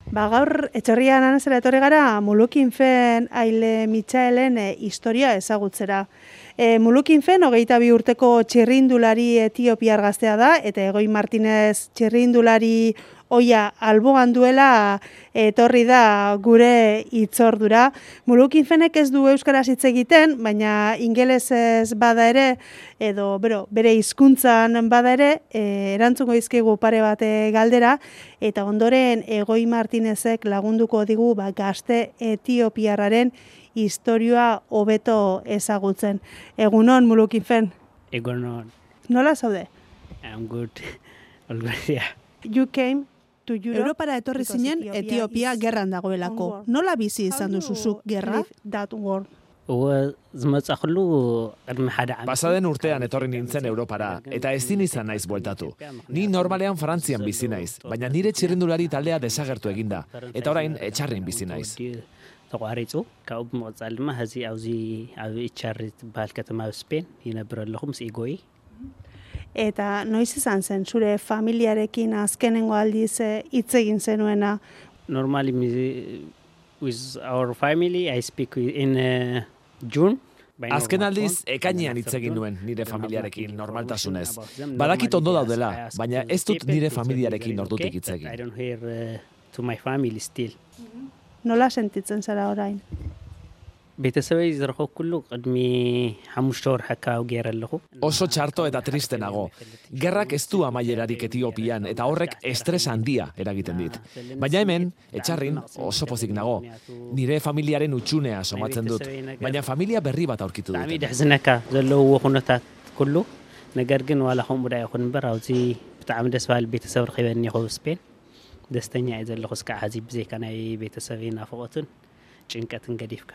Gaur etxorrian anazera etorri gara Mulukin Fen Aile Mitxaelen historia ezagutzera. Mulukin Fen 22 urteko txirrindulari etiopiar gaztea da, eta Egoi Martinez txirrindulari oia albogan duela etorri da gure hitzordura. Mulukin Fenek ez du euskaraz hitz egiten, baina ingelesez bada ere, edo bere hizkuntzan bada ere, erantzungo dizkigu pare bat galdera, eta ondoren Egoi Martinezek lagunduko digu gazte etiopiarraren historia hobeto ezagutzen. Egunon, Mulukin Fen. Egunon. Nola zaude? I'm good. All good, yeah. You came to Europe. Europara etorri zinen Etiopia gerran dagoelako. Nola bizi izan duzuzuk gerra? That war. Pasaden urtean etorri nintzen Europara, eta ezin izan naiz bueltatu. Ni normalean Frantzian bizi naiz, baina nire txirrindulari taldea desagertu eginda, eta orain etxarrin bizi naiz. ተቋሪጹ ካብኡ ምቕፃል ድማ ሕዚ ኣብዚ ኣብ ኢቻሪ ዝበሃል ከተማ ስፔን ይነብር ኣለኹ ምስ ኢጎይ Eta noiz izan zen zure familiarekin azkenengo aldiz hitz egin zenuena? Normally with our family I speak in June. Azken aldiz, ekainean hitz egin nuen nire familiarekin normaltasunez. Badakit ondo daudela, baina ez dut nire familiarekin ordutik hitz egin. I don't hear to my family still. Nola sentitzen zara orain? ቤተሰበይ ዝረኸቡ ኩሉ ቅድሚ 5 ወር ሓካው ገይረ ኣለኹ Oso txarto eta triste nago. Gerrak ez du amaierarik Etiopian eta horrek estres handia eragiten dit. Baina hemen, etxarrin oso pozik nago. Nire familiaren utxunea somatzen dut, baina familia berri bat aurkitu ብጣዕሚ dut. ድሕዝነካ ዘለዎ ኩነታት ኩሉ ነገር ግን ዋላ ከምኡ ዳ ይኹን እምበር ኣብዚ ብጣዕሚ ደስ በሃሊ ቤተሰብ ረኺበኒ ኢኹ ስፔን ደስተኛ እየ ዘለኹ እስካዕ ሕዚ ብዘይካ ናይ ቤተሰብ ናፍቆትን ጭንቀትን ገዲፍካ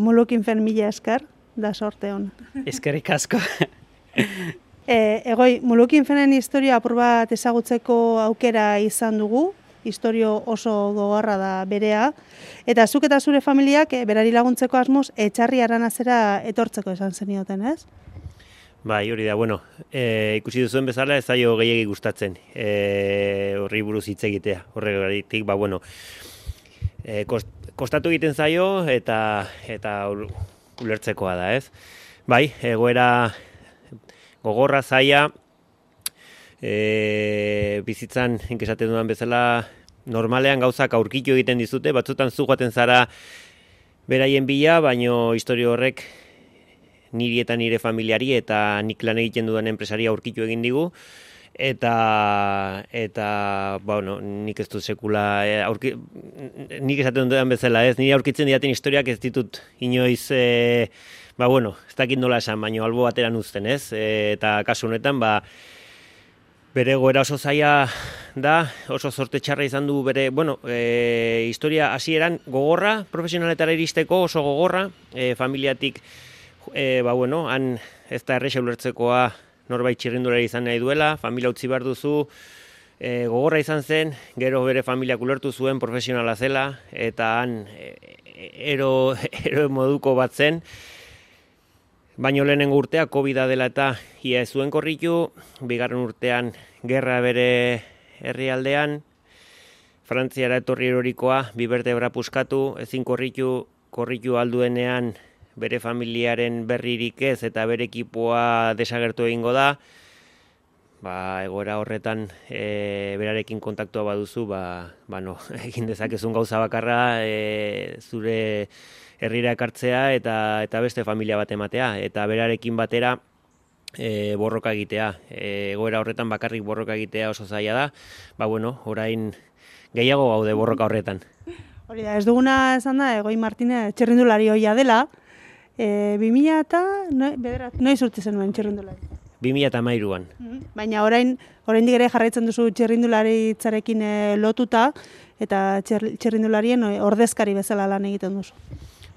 Mulukin Fen mila esker, da sorte hon. eskerrik asko. Egoi, Mulukin Fenen historia apur bat ezagutzeko aukera izan dugu, historio oso gogorra da berea, eta zuk eta zure familiak berari laguntzeko asmoz etxarri aranazera etortzeko esan zenioten, ez? Bai, hori da, bueno, ikusi duzuen bezala ez zaio gehiegi gustatzen, horri buruz hitz egitea, horregatik, bueno, kostatu egiten zaio eta ulertzekoa da, ez? Bai, egoera gogorra zaia, bizitzan inkesaten dudan bezala, normalean gauzak aurkitu egiten dizute, batzutan zu joaten zara beraien bila, baino historio horrek niri eta nire familiari eta nik lan egiten dudan enpresari aurkitu egin digu, eta bueno, nik ez dut sekula nik esaten dudan bezala, ez, nire aurkitzen diaten historiak ez ditut inoiz bueno, ez dakit nola esan, baino albo bateran uzten, ez, eta kasu honetan, bere goera oso zaila da, oso zorte txarra izan du bere, bueno, historia hasieran gogorra, profesionaletara iristeko oso gogorra, familiatik, bueno, han ez da erresa ulertzekoa norbait txirrindulari izan nahi duela, familia utzi behar duzu, gogorra izan zen, gero bere familiak ulertu zuen profesionala zela, eta han ero moduko bat zen, baino lehenengo urtea COVID-a dela eta ia ez zuen korritu, bigarren urtean gerra bere herrialdean, Frantziara etorri erorikoa, bi bertebra puskatu, ezin korritu alduenean bere familiaren berririk ez eta bere ekipoa desagertu egingo da, egoera horretan berarekin kontaktua baduzu, no, egin dezakezun gauza bakarra zure herrira ekartzea eta beste familia bat ematea, eta berarekin batera borroka egitea. Egoera horretan bakarrik borroka egitea oso zaila da, bueno, orain gehiago gaude borroka horretan. Hori da, ez duguna esan da, Egoi Martinez txirrindulari hoia dela, 2000 eta noiz urte zenuen txirrindulari? 2013an. Baina oraindik ere jarraitzen duzu txirrindularitzarekin lotuta eta txirrindularien ordezkari bezala lan egiten duzu.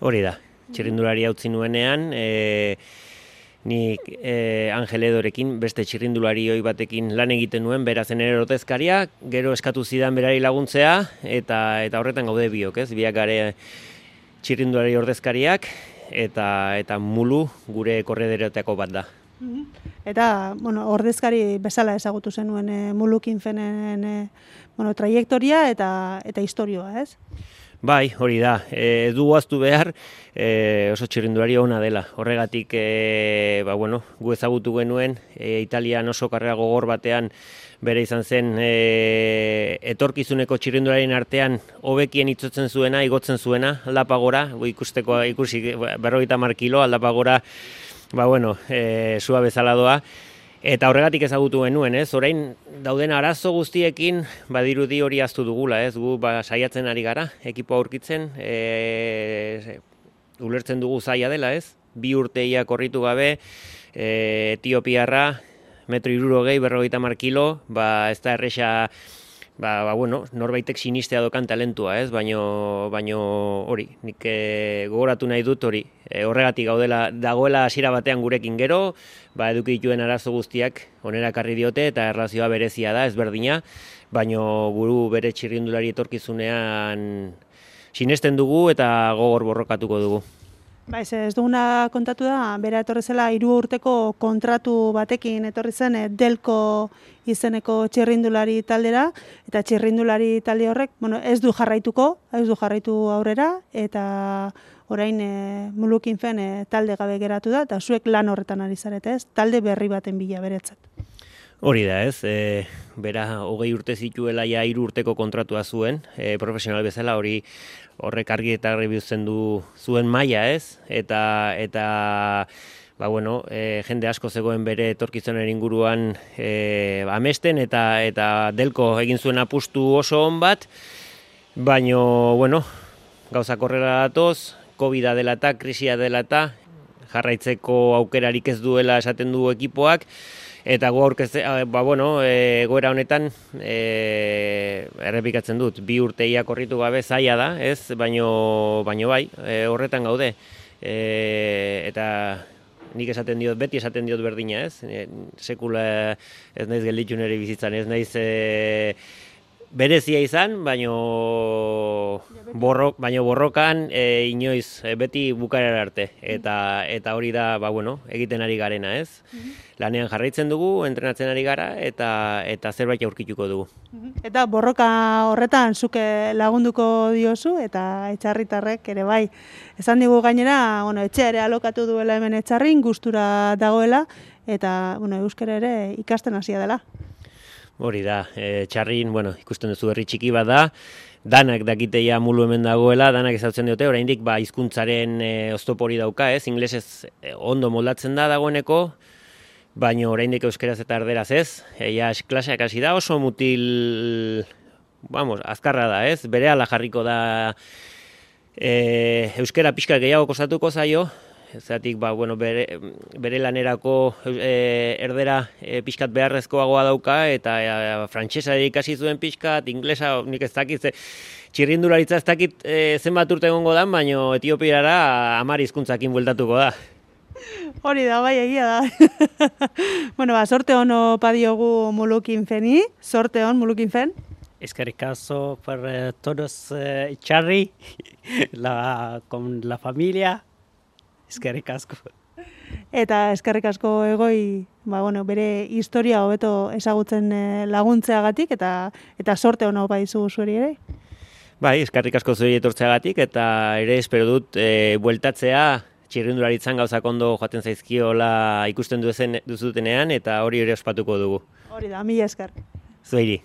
Hori da, txirrindulari utzi nuenean, nik Angel Edorekin beste txirrindulari hoi batekin lan egiten nuen, bera zen ere ordezkaria, gero eskatu zidan berari laguntzea, eta horretan gaude biok, ez? Biak gare txirrindulari ordezkariak, eta Mulu gure korredereotako bat da. Eta, ordezkari bezala ezagutu zenuen Mulukinfenen traiektoria eta historioa, ez? Bai, hori da. Du guaztu behar oso txirrindulari ona dela. Horregatik, gu ezagutu genuen, Italian oso karrera gogor batean bere izan zen etorkizuneko txirrindularien artean hobekien itzotzen zuena, igotzen zuena, aldapagora, ikusi 50 kilo aldapagora, sua bezala doa. Eta horregatik ezagutu genuen, ez? Orain dauden arazo guztiekin badirudi hori ahaztu dugula, ez? Gu saiatzen ari gara, ekipo aurkitzen, ulertzen dugu zaila dela, ez? 2 urteia korritu gabe, Etiopiarra, 160 50 kilo, ez da erresa, norbaitek sinistea dokan talentua, ez? Baino hori, nik gogoratu nahi dut hori. Horregatik dagoela hasiera batean gurekin gero, eduki dituen arazo guztiak onera ekarri diote eta erlazioa berezia da, ezberdina, baino guru bere txirrindulari etorkizunean sinesten dugu eta gogor borrokatuko dugu. Ez duguna kontatu da, bera etorri zela 3 urteko kontratu batekin etorri zen Delko izeneko txirrindulari taldera, eta txirrindulari talde horrek, ez du jarraitu aurrera, eta orain Mulukinfen talde gabe geratu da, eta zuek lan horretan ari zarete, ez? Talde berri baten bila beretzat. Hori da, ez? Bera 20 urte zituela 3 urteko kontratua zuen, profesional bezala horrek argi eta garbi uzten du zuen maila, ez? Eta jende asko zegoen bere etorkizunaren inguruan amesten eta Delko egin zuen apustu oso on bat, baino, gauzak horrela datoz, Covida dela eta, krisia dela eta, jarraitzeko aukerarik ez duela esaten du ekipoak, eta goera honetan errepikatzen dut, 2 urteia korritu gabe zaila da, ez? Baino bai, horretan gaude. Eta nik beti esaten diot berdina, ez? Sekula ez naiz gelditu nire bizitzan, ez naiz berezia izan, baino borrokan inoiz beti bukaera arte. Eta hori da, egiten ari garena, ez? Lanean jarraitzen dugu, entrenatzen ari gara, eta zerbait aurkituko dugu. Eta borroka horretan zuke lagunduko diozu, eta etxarritarrek ere bai. Esan digu gainera, etxe ere alokatu duela hemen etxarrin, gustura dagoela, eta euskara ere ikasten hasia dela. Hori da, txarrin, ikusten duzu herri txiki bat da, danak dakiteia Mulu hemen dagoela, danak ezautzen diote, oraindik hizkuntzaren oztopori dauka, ez? Inglesez ondo moldatzen da dagoeneko, baina oraindik euskeraz eta erderaz ez, klaseak hasi da, oso mutil, azkarra da, ez? Berehala jarriko da euskera pixka gehiago kostatuko zaio, zeratik bere lanerako erdera pixkat beharrezkoagoa dauka, eta frantsesa ikasi zuen pixkat, inglesa nik ez dakit, txirrindularitza ez dakit zenbat urte egongo da, baina Etiopiara 10 hizkuntzakin bueltatuko da. Hori da, bai, egia da. Sorte hono padiogu Mulukinfeni, sorte hon Mulukinfen. Eskerrik asko por todos Charri, con la familia. Eskerrik asko. Eta eskerrik asko Egoi, bere historia hobeto ezagutzen laguntzeagatik, eta sorte hona opa dizugu zueri ere. Bai, eskerrik asko zueri etortzeagatik, eta ere espero dut bueltatzea txirrindularitzan gauzak ondo joaten zaizkiola ikusten duzutenean, eta hori ere ospatuko dugu. Hori da, mila esker. Zueri.